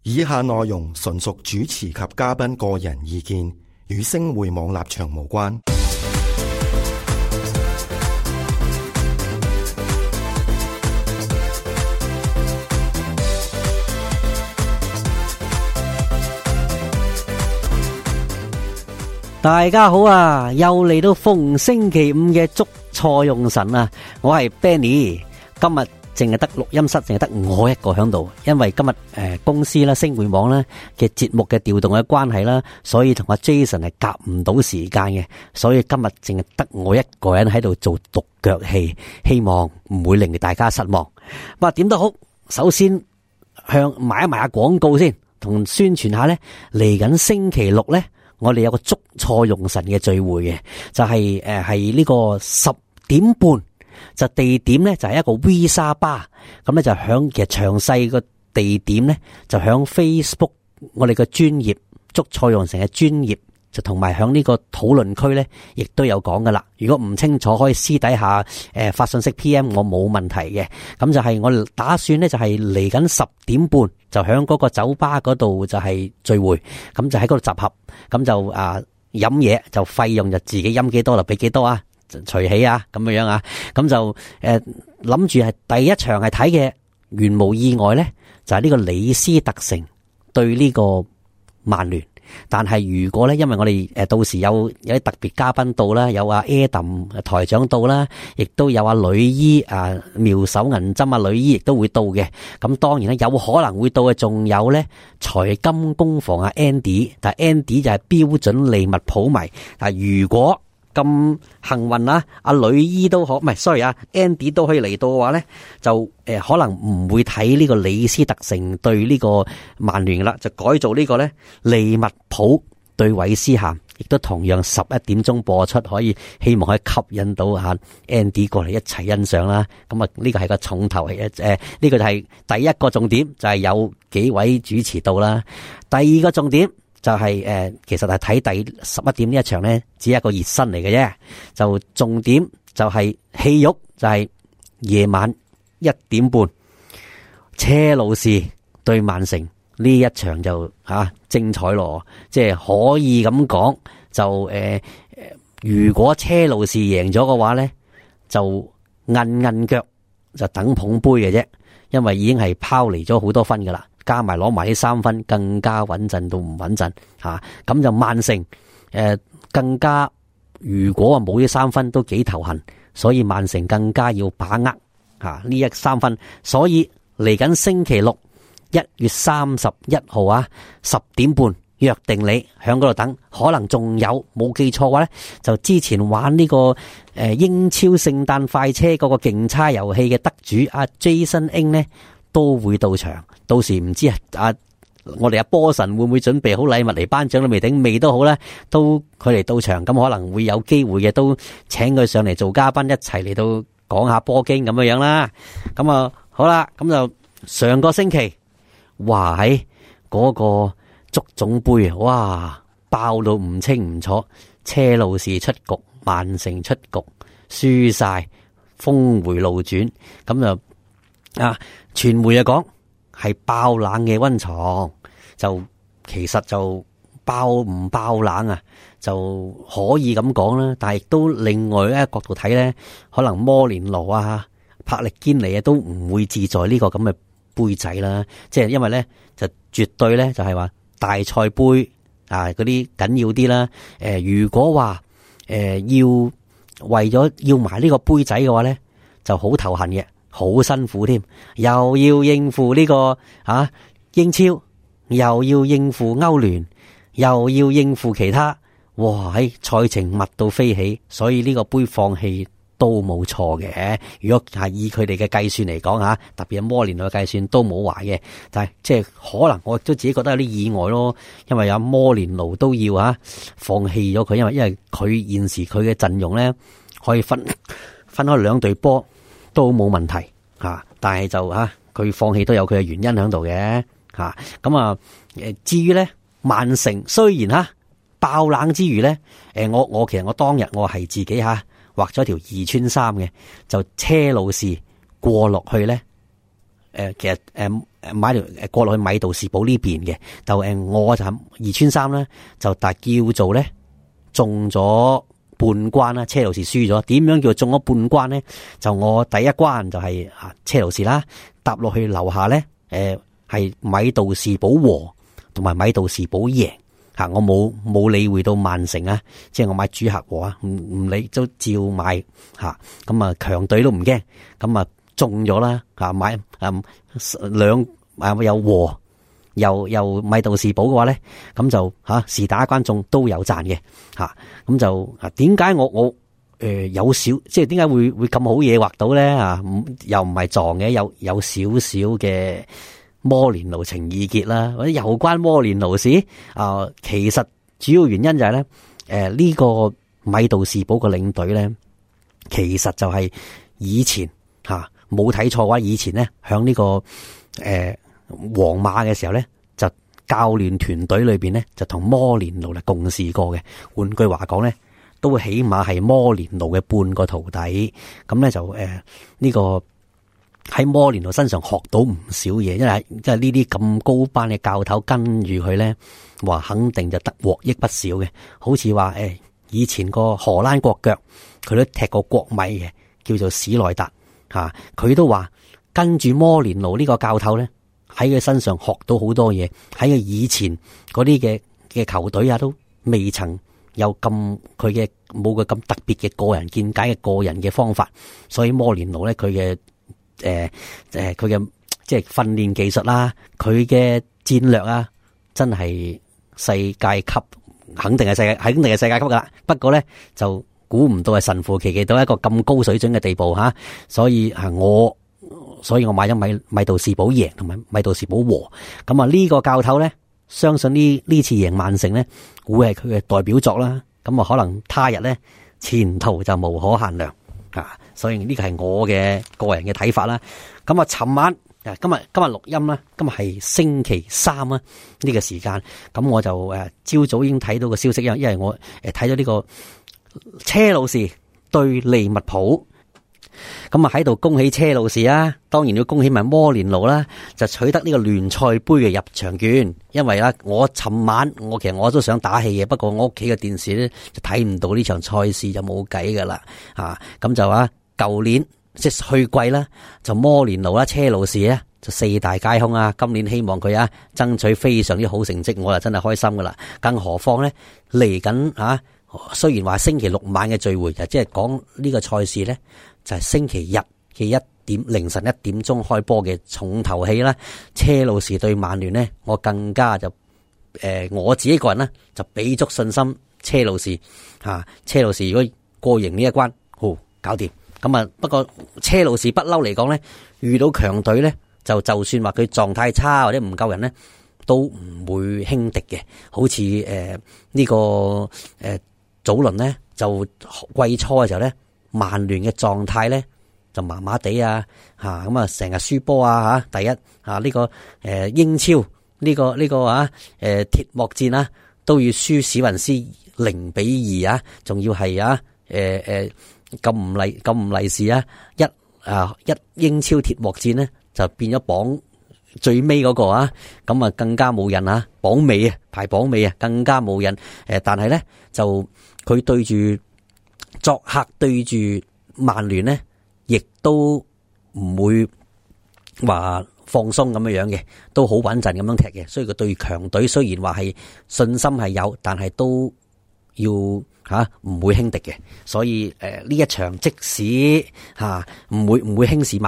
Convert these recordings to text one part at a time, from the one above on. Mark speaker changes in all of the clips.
Speaker 1: 以下內容純屬主持及嘉賓個人意見，與星匯網立場無關。
Speaker 2: 大家好啊，又嚟到逢星期五嘅捉錯用神啊！我係 Benny， 今日淨係得錄音室，淨係得我一個響度，因為今日公司啦、星匯網啦嘅節目嘅調動嘅關係啦，所以同阿 Jason 係夾唔到時間嘅，所以今日淨係得我一個人喺度做獨腳戲，希望唔會令大家失望。點都好，首先向賣一賣下廣告先，同宣傳下呢，嚟緊星期六呢，我哋有個捉錯用神嘅聚會嘅，就係呢個10點半。就地點咧就係一個 Visa Bar， 咁咧就響其實詳細個地點咧就響 Facebook 我哋個專頁捉錯用神嘅專頁，就同埋響呢個討論區咧亦都有講噶啦。如果唔清楚可以私底下發信息 PM 我冇問題嘅。咁就係我哋打算咧就係嚟緊10點半就響嗰個酒吧嗰度就係聚會，咁就喺嗰度集合，咁就飲嘢就費用就自己飲幾多就俾幾多啊，隨起啊，咁樣啊，咁就諗住係第一場係睇嘅，原無意外咧就係呢個李斯特城對呢個曼聯。但係如果咧，因為我哋到時有啲特別嘉賓到啦，有阿 Adam 台長到啦，亦都有阿女醫妙手銀針女醫亦都會到嘅。咁當然咧有可能會到嘅，仲有咧財金工房Andy， 但係 Andy 就係標準利物浦迷。但係如果咁幸運啊，阿女醫都可，唔係 sorry 啊 Andy 都可以嚟到嘅話咧，就可能唔會睇呢個李斯特城對呢個曼聯啦，就改做呢個咧利物浦對韋斯咸，亦都同樣11點鐘播出，可以希望可以吸引到Andy 過嚟一齊欣賞啦。咁呢個係個重頭戲，呢個就係第一個重點，就係有幾位主持到啦。第二個重點就係其實係睇第11點呢一場咧，只係一個熱身嚟嘅啫。就重點就係戲肉，就係夜晚1點半，車路士對曼城呢一場就精彩咯。即係可以咁講，就如果車路士贏咗嘅話咧，就韌腳就等捧杯嘅啫，因為已經係拋離咗好多分噶啦。加埋攞埋呢3分，更加穩陣到唔穩陣吓。咁就曼城更加，如果冇呢3分都幾頭痕，所以曼城更加要把握呢3分。所以嚟緊星期六1月31號10點半約定你響嗰度等。可能仲有冇記錯嘅話咧，就之前玩呢個英超聖誕快車嗰個競猜遊戲嘅得主Jason Ing 咧都會到場。到時唔知我哋波神會唔會準備好禮物嚟頒獎都未定，未都好啦，都佢嚟到場，咁可能會有機會嘅，都請佢上嚟做嘉賓，一齊嚟到講下波經咁樣啦。咁好啦，咁就上個星期，哇喺嗰個足總杯哇爆到唔清唔楚，車路士出局，曼城出局，輸晒，峰回路轉，咁就傳媒講係爆冷嘅溫床，就其實就爆唔爆冷就可以咁講啦。但係亦都另外一個角度睇咧，可能摩連奴柏力堅尼都唔會自在呢個咁嘅杯仔啦。即係因為咧就絕對咧就係話大賽杯嗰啲緊要啲啦。如果話要為咗要埋呢個杯仔嘅話咧，就好頭痕嘅。好辛苦添，又要應付呢個英超，又要應付歐聯，又要應付其他，哇！喺賽程密到飛起，所以呢個杯放棄都冇錯嘅。如果係以佢哋嘅計算嚟講特別係摩連奴嘅計算都冇壞嘅。但係即係可能我都自己覺得有啲意外咯，因為有摩連奴都要放棄咗佢，因為佢現時佢嘅陣容咧可以分開2隊波。都冇問題但係就佢放棄都有佢嘅原因喺度嘅咁至於咧曼城雖然爆冷之餘咧，我其實我當日我係自己畫咗條2穿3嘅，就車路士過落去咧其實買條過落去米道士堡呢邊嘅，就我就二穿三啦，就但係叫做咧中咗半關啦，車路士輸咗。點樣叫中咗半關咧？就我第一關就係車路士啦，搭落去樓下咧，係米道士堡和同埋米道士堡贏。我冇理會到曼城啊，即係我買主客和啊，唔理都照買吓，咁啊強隊都唔驚，咁啊中咗啦吓，買兩有和又米道士堡嘅話咧，咁就是打一關中都有賺嘅吓，咁就點解我有少即係點解會咁好嘢畫到咧啊？又唔係撞嘅，有少少嘅。摩連奴情意結啦，或者有關摩連奴事其實主要原因就係咧，呢個米道士堡個領隊咧，其實就係以前冇睇錯嘅話，以前咧響呢個皇馬嘅時候咧，就教練團隊裏邊咧就同摩連奴嚟共事過嘅。換句話講咧，都起碼係摩連奴嘅半個徒弟。咁咧就呢個。喺摩連奴身上學到唔少嘢，因為即係呢啲咁高班嘅教頭跟住佢咧，話肯定就得獲益不少嘅。好似話以前個荷蘭國腳佢都踢過國米嘅，叫做史內達吓，佢都話跟住摩連奴呢個教頭咧，喺佢身上學到好多嘢。喺佢以前嗰啲嘅球隊啊，都未曾有咁佢嘅冇佢咁特別嘅個人見解嘅個人嘅方法，所以摩連奴咧佢嘅。佢嘅即係訓練技術啦，佢嘅戰略啊，真係世界級，肯定係世界級噶啦。不過咧就估唔到係神乎其技到一個咁高水準嘅地步吓，所以我買咗米道士堡贏同埋米道士堡和。咁呢個教頭咧，相信呢次贏曼城咧，會係佢嘅代表作啦。咁可能他日咧前途就無可限量。所以呢個係我嘅個人嘅睇法啦。咁尋晚今日錄音啦，今日係星期三啦，呢個時間，咁我就朝早已經睇到個消息，因為我睇咗呢個車路士對利物浦，咁喺度恭喜車路士啊，當然要恭喜埋摩連奴啦，就取得呢個聯賽盃嘅入場券。因為我尋晚其實我都想打氣嘅，不過我屋企嘅電視咧就睇唔到呢場賽事，就冇計噶啦咁就舊年即係去季啦，就摩連奴啦、車路士咧就四大皆空啊。今年希望佢爭取非常之好成績，我就真係開心噶啦。更何況咧嚟緊雖然話星期六晚嘅聚會，就即係講呢個賽事咧就係星期日嘅凌晨1點鐘開波嘅重頭戲啦。車路士對曼聯呢，我更加就我自己個人呢，就俾足信心車路士車路士如果過贏呢一關，好搞掂。咁不過車路士不嬲嚟講咧，遇到強隊咧，就算話佢狀態差或者唔夠人咧，都唔會輕敵嘅。好似呢個早輪咧，就季初嘅時候咧，曼聯嘅狀態咧就麻麻地咁成日輸波第一呢個英超呢個鐵幕戰都要輸史雲斯0-2仲要係咁唔利是一英超鐵幕戰呢就變咗榜最尾嗰個咁更加冇人榜尾排榜尾更加冇人。但係咧就佢對住作客對住曼聯呢，亦都唔會話放鬆咁樣嘅，都好穩陣咁樣踢嘅。所以佢對強隊雖然話係信心係有，但係都要唔會輕敵嘅。所以呢一場即使唔會輕視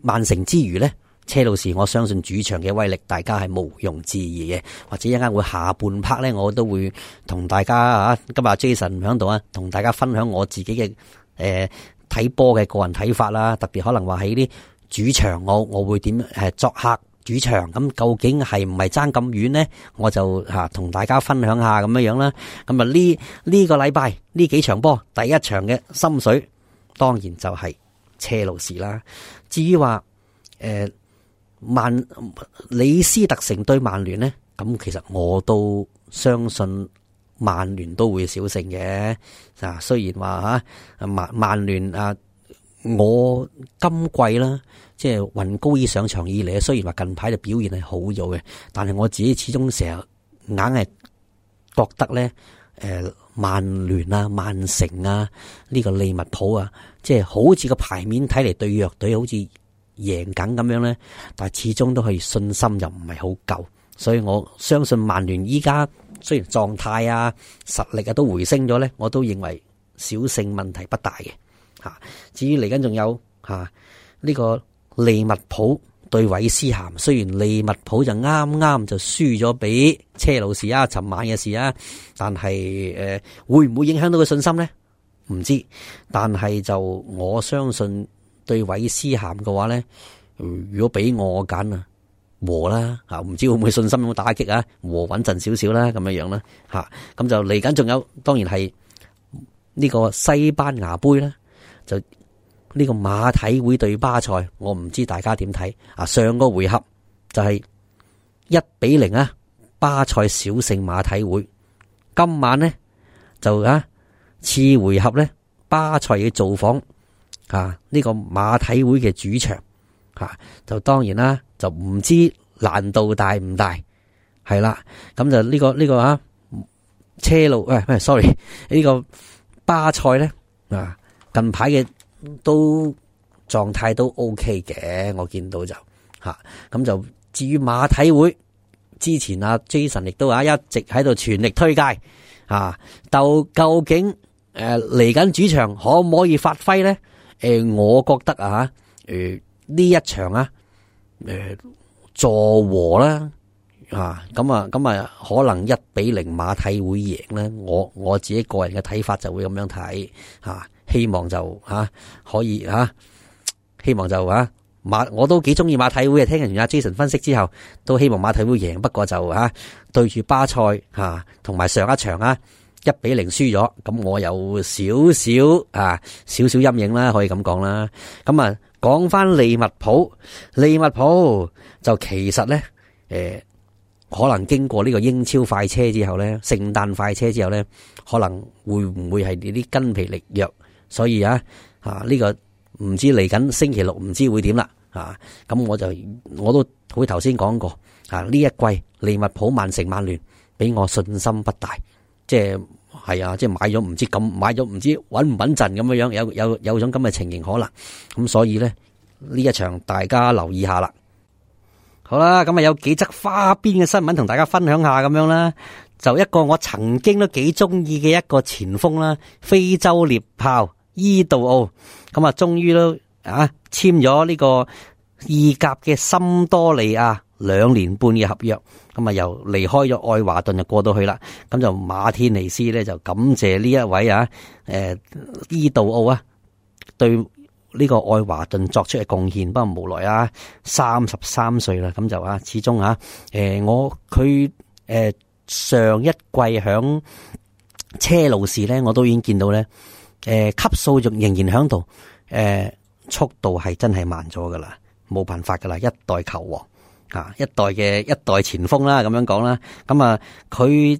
Speaker 2: 曼城之餘呢，車路士我相信主場嘅威力大家係毋庸置疑嘅。或者一陣間會下半 part 呢，我都會同大家今日 Jason 響度同大家分享我自己嘅睇波嘅個人睇法啦。特別可能話喺啲主場我會點作客主場，咁究竟係唔係爭咁遠呢？我就同大家分享下咁樣啦。咁呢個禮拜呢幾場波，第一場嘅心水當然就係車路士啦。至於話李斯特城對曼聯呢，咁其實我都相信曼聯都會小勝嘅。雖然話曼聯我今季啦，即係雲高爾上場以嚟，雖然話近排嘅表現係好咗嘅，但係我自己始終成日硬係覺得咧，曼聯啊、曼城啊、呢個利物浦啊，即係好似個牌面睇嚟對弱隊好似贏緊咁樣咧，但係始終都係信心又唔係好夠，所以我相信曼聯依家雖然狀態啊、實力啊都回升咗咧，我都認為小勝問題不大嘅。至於嚟緊仲有呢個利物浦對韋斯咸，雖然利物浦就啱啱就輸咗俾車路士啊，尋晚嘅事啊，但係會唔會影響到佢信心呢？唔知，但係就我相信對韋斯咸嘅話呢，如果俾我揀啊，和啦唔知會唔會信心有冇打擊啊？和穩陣少少啦，咁樣樣啦咁就嚟緊仲有，當然係呢個西班牙杯啦，就呢個馬體會對巴塞，我唔知大家點睇啊？上個回合就係1-0啊，巴塞小勝馬體會。今晚呢，就次回合呢，巴塞要造訪呢個馬體會嘅主場就當然啦，就唔知難度大唔大，係啦。咁就呢個車路sorry 呢個巴塞呢近排嘅都狀態都 OK 嘅，我見到就咁就至於馬體會，之前Jason 亦都一直喺度全力推介究竟嚟緊主場可唔可以發揮咧？我覺得呢一場助和啦咁可能1-0馬體會贏咧。我自己個人嘅睇法就會咁樣睇希望就可以希望就我都幾中意馬體會嘅。聽完阿 Jason 分析之後，都希望馬體會贏。不過就對住巴塞同埋上一場1-0輸咗，咁我有少少陰影啦，可以咁講啦。咁講翻利物浦就其實咧可能經過呢個英超快車之後咧，聖誕快車之後咧，可能會唔會係呢啲筋疲力弱？所以呢個唔知嚟緊星期六唔知會點啦咁我都好似頭先講過呢一季利物浦、曼城、曼聯俾我信心不大，即係買咗唔知穩唔穩陣咁樣，有種咁嘅情形可能咁，所以咧呢一場大家留意下啦。好啦，咁有幾則花邊嘅新聞同大家分享下咁樣啦。就一個我曾經都幾中意嘅一個前鋒啦，非洲獵豹伊杜奧，咁終於都簽咗呢個意甲嘅森多利亞2年半嘅合約，咁又離開咗愛華頓就過到去啦。咁就馬天尼斯咧就感謝呢一位伊杜奧對呢個愛華頓作出嘅貢獻，不過無奈33歲啦，咁就始終佢上一季響車路士咧，我都已經見到咧，級數仍然響度，速度係真係慢咗噶啦，冇辦法噶啦，一代球王一代前鋒啦，咁樣講啦。咁佢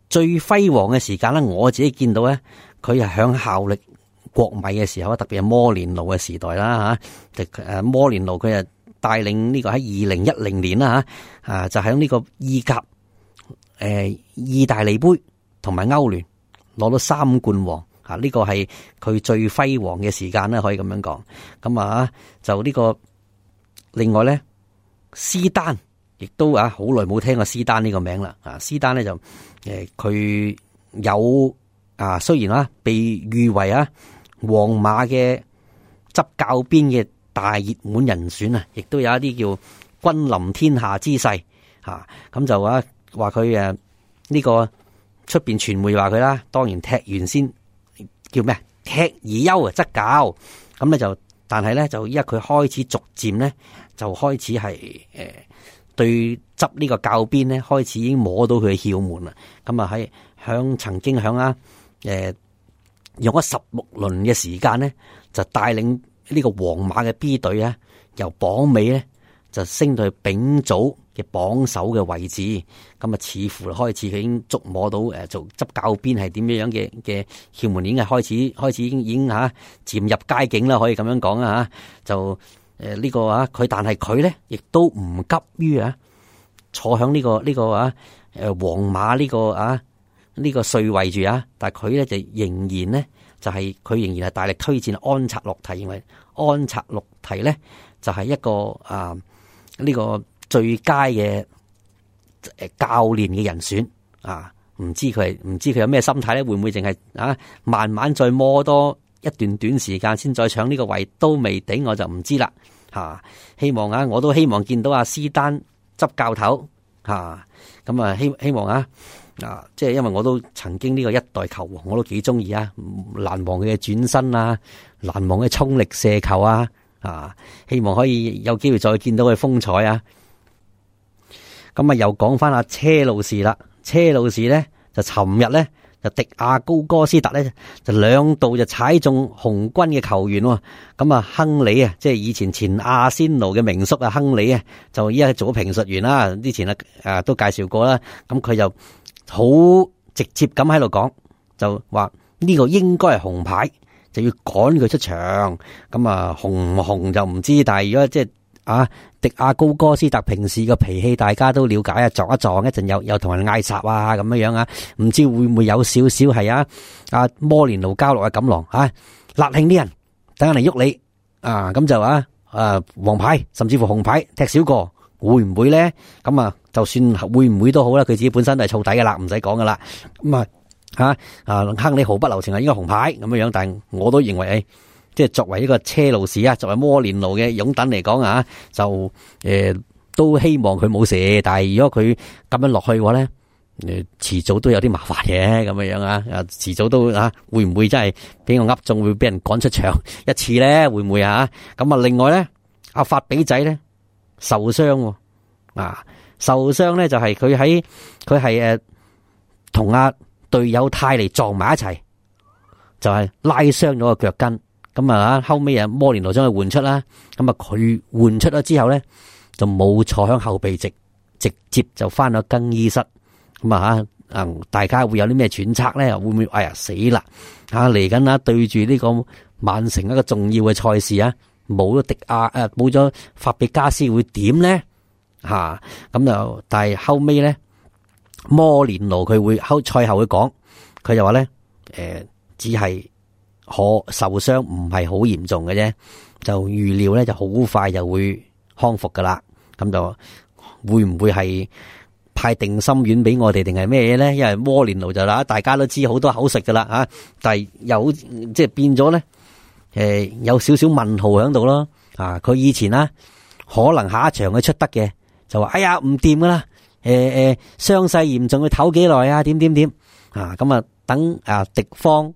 Speaker 2: 最輝煌嘅時間咧，我自己見到咧，佢係響效力國米嘅時候，特別係摩連奴嘅時代啦摩連奴佢帶領呢個喺2010年啦就喺呢個意甲意大利杯同埋歐聯攞到3冠王呢個係佢最輝煌嘅時間啦，可以咁樣講。咁就呢個另外咧，斯丹亦都好耐冇聽過斯丹呢個名啦。斯丹咧就佢有雖然被譽為皇馬嘅執教鞭嘅大熱門人選亦都有一啲叫君臨天下之勢咁就話佢呢個出邊傳媒話佢啦，當然踢完先叫咩踢而優則教，咁咧就但係咧就依家佢開始逐漸咧就開始係對執呢個教鞭咧開始已經摸到佢嘅竅門啦。咁曾經響用咗16輪嘅時間咧，就帶領呢個皇馬嘅 B 隊由榜尾咧就升到去丙組嘅榜首嘅位置。咁似乎開始佢已經觸摸到做執教鞭係點樣嘅竅門，已經係開始已經漸入佳境啦，可以咁樣講就呢個啊，但係佢咧亦都唔急於坐響呢個皇馬呢個帥位住啊，但係佢咧就仍然咧佢仍然係大力推薦安察洛提，認為安察洛提咧就係一個呢個最佳嘅教練嘅人選啊。唔知佢有咩心態咧？會唔會淨係慢慢再摸多一段短時間先再搶呢個位都未定，我就唔知啦吓。希望我都希望見到阿斯丹執教頭吓，咁希望即係因為我都曾經呢個一代球王，我都幾中意難忘佢嘅轉身難忘嘅衝力射球希望可以有機會再見到佢風采咁又講翻阿車路士啦。車路士咧就尋日咧就迪亞高哥斯特咧就兩度就踩中紅軍嘅球員咁亨利即係以前阿仙奴嘅名宿亨利就依家做咗評述員啦。之前都介紹過啦，咁佢就好直接咁喺度講，就話呢個應該係紅牌，就要趕佢出場。咁紅唔紅就唔知，但係如果即係迪亞高哥斯特平時嘅脾氣大家都了解撞一撞一陣又同人嗌霎咁樣唔知會唔會有少少係摩連奴交落嘅錦囊辣興啲人等人嚟喐你咁就黃牌甚至乎紅牌踢少個會唔會咧？咁就算會唔會都好啦，佢自己本身都係燥底噶啦，唔使講噶啦。咁亨利毫不留情應該紅牌咁樣，但係我都認為即係作為一個車路士作為摩連奴嘅擁躉嚟講就都希望佢冇事。但係如果佢咁樣落去嘅話咧，遲早都有啲麻煩嘅咁樣遲早都會唔會真係俾我噏中會俾人趕出場一次咧？會唔會咁另外咧，阿法比仔咧受傷受傷咧就係佢係同阿隊友泰利撞埋一齊，就係拉傷咗個腳跟。咁後尾摩連奴將佢換出啦，咁佢換出咗之後咧就冇坐響後備席，直接就翻咗更衣室。咁大家會有啲咩揣測咧？會唔會死啦？嚟緊對住呢個曼城一個重要嘅賽事冇咗冇咗法比加斯會點咧？咁就但係後尾咧摩連奴佢會賽後會講，佢就話咧只係受傷唔係好嚴重嘅啫，就預料咧就好快就會康復噶啦。咁就會唔會係派定心丸俾我哋定係咩嘢咧？因為摩連奴就大家都知好多口食噶啦但係有即係變咗咧有少少問號喺度咯。佢以前可能下一場佢出得嘅就話哎呀唔掂噶啦，傷勢嚴重，佢唞幾耐點咁等敵方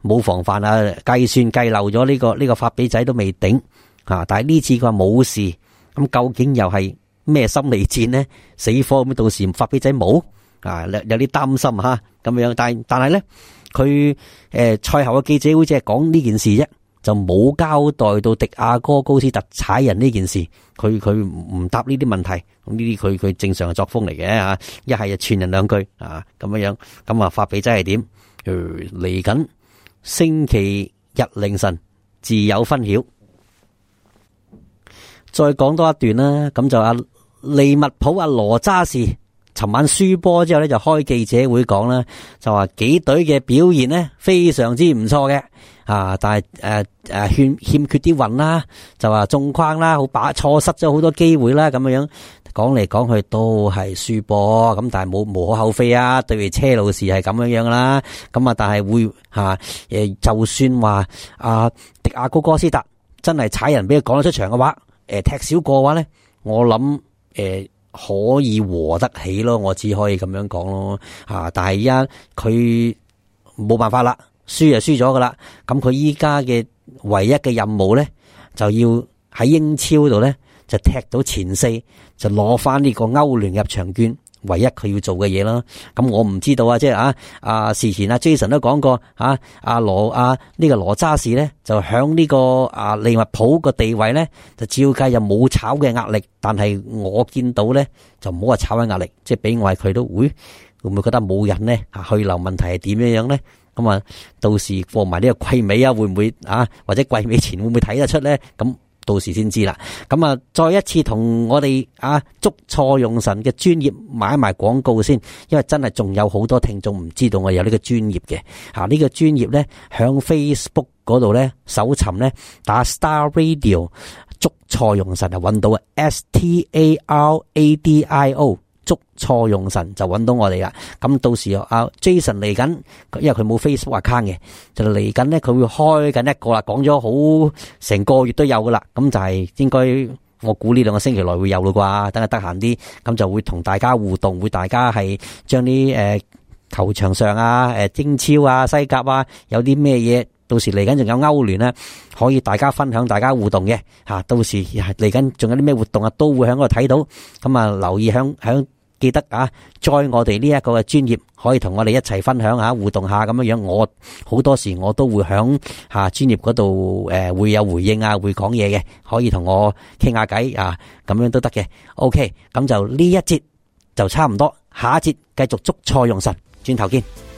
Speaker 2: 冇防範計算計漏咗呢個法比仔都未頂但係呢次佢話冇事，咁究竟又係咩心理戰呢？死火咁到時法比仔冇有啲擔心咁樣，但係咧佢賽後嘅記者會只係講呢件事啫，就冇交代到迪亞哥高斯特踩人呢件事，佢唔答呢啲問題，咁呢啲佢正常嘅作風嚟嘅一係就串人兩句咁樣，咁法比仔係點嚟緊？星期日凌晨自有分曉。再講多一段啦，咁就利物浦羅渣士尋晚輸波之後咧，就開記者會講啦，就話幾隊嘅表現呢非常之唔錯嘅但係欠缺啲運啦，就話中框啦，錯失咗好多機會啦，咁樣講嚟講去都係輸波，咁但係無可厚非對住車路士係咁樣啦，咁但係會就算話迪亞高哥斯特真係踩人俾佢趕咗出場嘅話，踢少個嘅話咧，我諗可以和得起咯，我只可以咁樣講咯但係依家佢冇辦法啦，輸就輸咗噶啦，咁佢依家嘅唯一嘅任務咧，就要喺英超度咧就踢到前4，就攞翻呢個歐聯入場券，唯一佢要做嘅嘢啦。咁我唔知道即係事前Jason 都講過呢個羅渣士咧就響呢個利物浦個地位咧就照計又冇炒嘅壓力，但係我見到咧就唔好話炒嘅壓力，即係俾我係佢都會唔會覺得冇人咧去留問題係點樣咧？咁到時過埋呢個季尾會唔會或者季尾前會唔會睇得出咧？咁到時先知啦。咁啊，再一次同我哋捉錯用神嘅專業買埋廣告先，因為真係仲有好多聽眾唔知道我有呢個專業嘅。呢個專業咧響 Facebook 嗰度咧搜尋咧打 Star Radio 捉錯用神就揾到啊 STARADIO 捉錯用神就揾到我哋啦。咁到時Jason 嚟緊，因為佢冇 Facebook account 嘅，就嚟緊咧佢會開緊一個啦，講咗好成個月都有噶啦。咁就係應該我估呢2個星期內會有咯啩，等佢得閒啲，咁就會同大家互動，會大家係將啲球場上英超西甲有啲咩嘢。到時嚟緊仲有歐聯咧，可以大家分享、大家互動嘅吓。到時嚟緊仲有啲咩活動都會喺嗰度睇到。咁留意響記得join我哋呢一個嘅專業，可以同我哋一齊分享互動下咁樣樣。我好多時我都會響專業嗰度會有回應會講嘢嘅，可以同我傾下偈咁樣都得嘅。OK， 咁就呢一節就差唔多，下一節繼續捉錯用神，轉頭見。